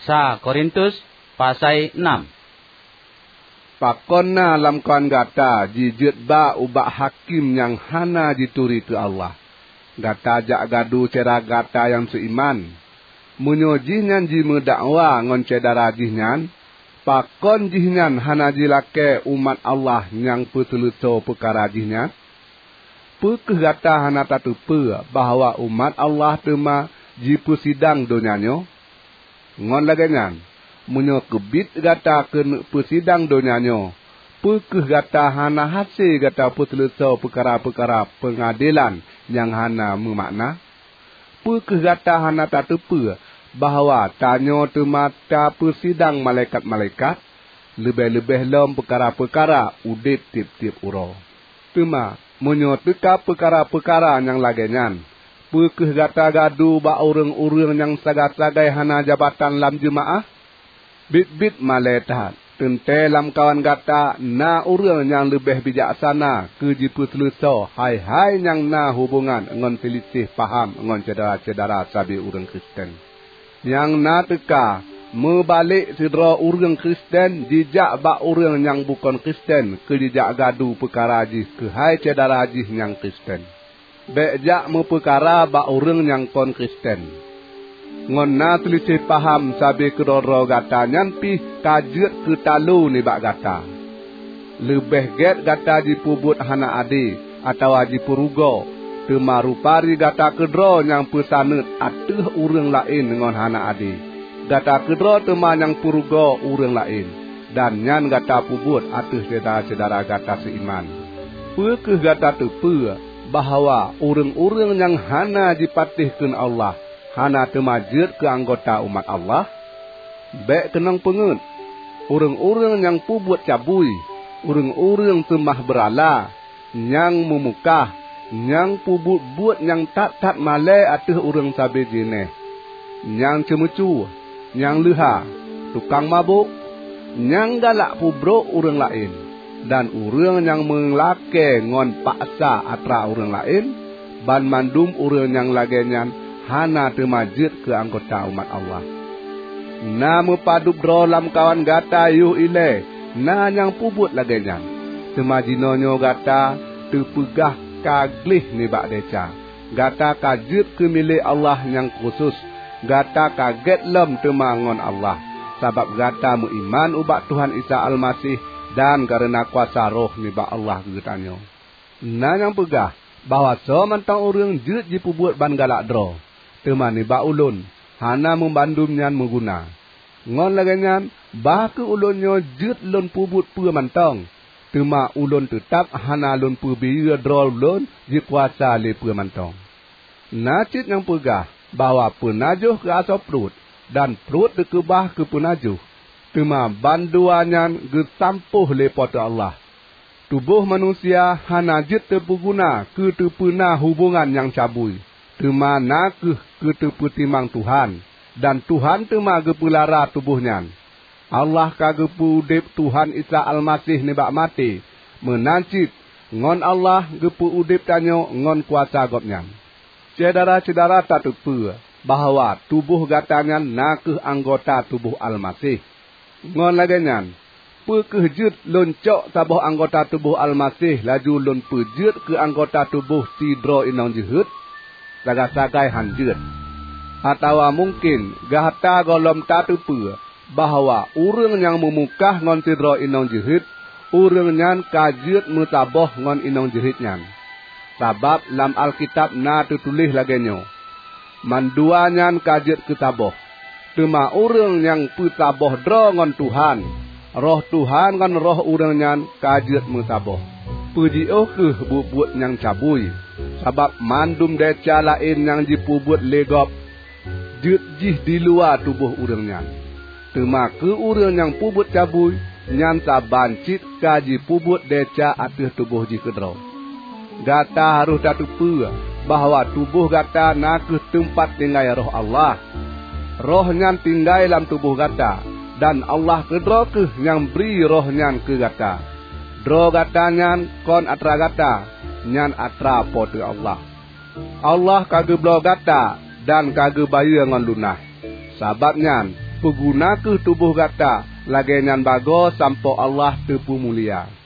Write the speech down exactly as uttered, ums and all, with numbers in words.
Sa Korintus pasai enam. Pakon na lamkawan gata jijeuet ba ubak hakém nyang hana jituri keu Allah? Gata jak gadu syedara gata nyang seuiman. Meunyoe jihnyan jimeudakwa ngon syedara jihnyan, pakon jihnyan hana jilakée umat Allah nyang peuseuleusoe peukara jihnyan? Peu kheueh gata hana tateupeue bahwa umat Allah teuma jipeusidang donya nyoe? Ngon lagée nyan, meunyoe keubiet gata keuneuk peusidang donya nyoe, peu kheueh gata hana hase gata peuseuleusoe peukara-peukara peungadelan nyang hana meumakna? Peu kheueh gata hana tateupeue bahwa tanyoe teuma tapeusidang malaikat-malaikat, leubeh-leubeh lom peukara-peukara udeb tieb-tieb uroe? Teuma, meunyoe teuka peukara-peukara nyang lagée nyan, peu kheueh gata gadu bak ureuëng-ureuëng nyang sagai-sagai hana jabatan lam jeumaáh? Biet-biet malée that! Teuntée lamkawan gata na ureuëng nyang leubeh bijaksana keu jipeuseuleusoe hai-hai nyang na hubongan ngon seuliseh paham ngon syedara-syedara sabe ureuëng Kristen. Nyang na teuka, meubalek sidroe ureuëng Kristen jijak bak ureuëng nyang bukon Kristen keu jijak gadu peukara jih keuhai syedara jih nyang Kristen. Bék jak meupeukara bak ureuëng nyang kon Kristen. Ngon na seuliseh paham sabe keudroe-droe gata nyan pih ka jeuet keu talo nibak gata. Leubeh gét gata jipeubuet hana ade atawa jipeurugoe, teuma rupari gata keudroe nyang peusaneut ateueh ureuëng laén ngon hana ade. Gata keudroe teuma nyang peurugoe ureuëng laén, dan nyan gata peubuet ateueh syedara-syedara gata seuiman. Peu kheueh gata teupeue bahwa ureuëng-ureuëng nyang hana jipatéh kheun Allah hana teuma jeuet keu anggota umat Allah? Bék keunong peungeuet! Ureuëng-ureuëng nyang peubuet cabui, ureuëng-ureuëng seumah beurala, nyang meumukah, nyang peubuet buet nyang that-that malée ateueh ureuëng sabe jeuneh, nyang ceumeucue, nyang leuha, tukang mabök, nyang galak peubrok ureuëng laén, dan ureuëng nyang meulakée ngon paksa atra ureuëng laén, banmandum ureuëng nyang lagée nyan hana teuma jeuet keu anggota umat Allah. Na meupadub droe lamkawan gata yoh ilée na nyang peubuet lagée nyan, teuma jinoenyoe gata teupeugah ka gleh nibak desya. Gata ka jeuet keu milék Allah nyang khusos. Gata ka gét lom teuma ngon Allah, sabab gata meuiman ubak Tuhan Isa Almaseh dan kareuna kuasa Roh nibak Allah geutanyoe. Na nyang peugah bahwa soe mantong ureuëng jeuet jipeubuet ban galak droe, teuma nibak ulôn, hana meubandum nyan meuguna. Ngon lagée nyan, bah kheueh ulôn nyoe jeuet lôn peubuet peue mantong, teuma ulôn teutab hana lôn peubiyeu droe lôn jikuasa lé peue mantong. Na cit nyang peugah bahwa peunajoh keu asoe pruet, dan pruet teukeubah keu peunajoh, teuma bandua nyan geusampôh lé Po teu Allah. Tuboh manusia hana jeuet teupeuguna keu teupeuna hubongan nyang cabui, teuma na kheueh keu teupeutimang Tuhan, dan Tuhan teuma geupeulara tuboh nyan. Allah ka geupeu udeb Tuhan Isa Almaseh nibak maté, meunan cit ngon Allah geupeu udeb tanyoe ngon kuasa Gobnyan. Syedara-syedara tateupeue bahwa tuboh gata nyan na kheueh anggota tuboh Almaseh. Ngon lagée nyan, peu kheueh jeuet lôn cok saboh anggota tuboh Almaseh laju lôn peujeuet keu anggota tuboh sidroe inong jeuhet? Sagai-sagai hán jeuet! Atawa mungken gata gohlom tateupeue bahwa ureuëng nyang meumukah ngon sidroe inong jeuhet, ureuëng nyan ka jeuet meusaboh ngon inong jeuhet nyan. Sabab lam Alkitab na teutuléh lagée nyoe, "Mandua nyan ka jeuet keu saboh." Teuma ureuëng nyang peusaboh droe ngon Tuhan, Roh Tuhan ngon roh ureuëng nyan ka jeuet meusaboh. Peujiôh kheueh buet-buet nyang cabui, sabab mandum desya laén nyang jipeubuet lé gob jeuet jih diluwa tuboh ureuëng nyan. Teuma keu ureuëng nyang peubuet cabui, nyan saban cit ka jipeubuet desya ateueh tuboh jih keudroe. Gata harôh tateupeue bahwa tuboh gata na kheueh teumpat tinggai Roh Allah. Roh nyan tinggai lam tuboh gata, dan Allah keudroe kheueh nyang bri Roh nyan keu gata. Droe gata nyan kon atra gata, nyan atra Po teu Allah. Allah ka geubloe gata dan ka geubayeue ngon lunaih. Sabab nyan, Peuguna kheueh tuboh gata lagée nyan bagoe sampoe Allah teupeumulia.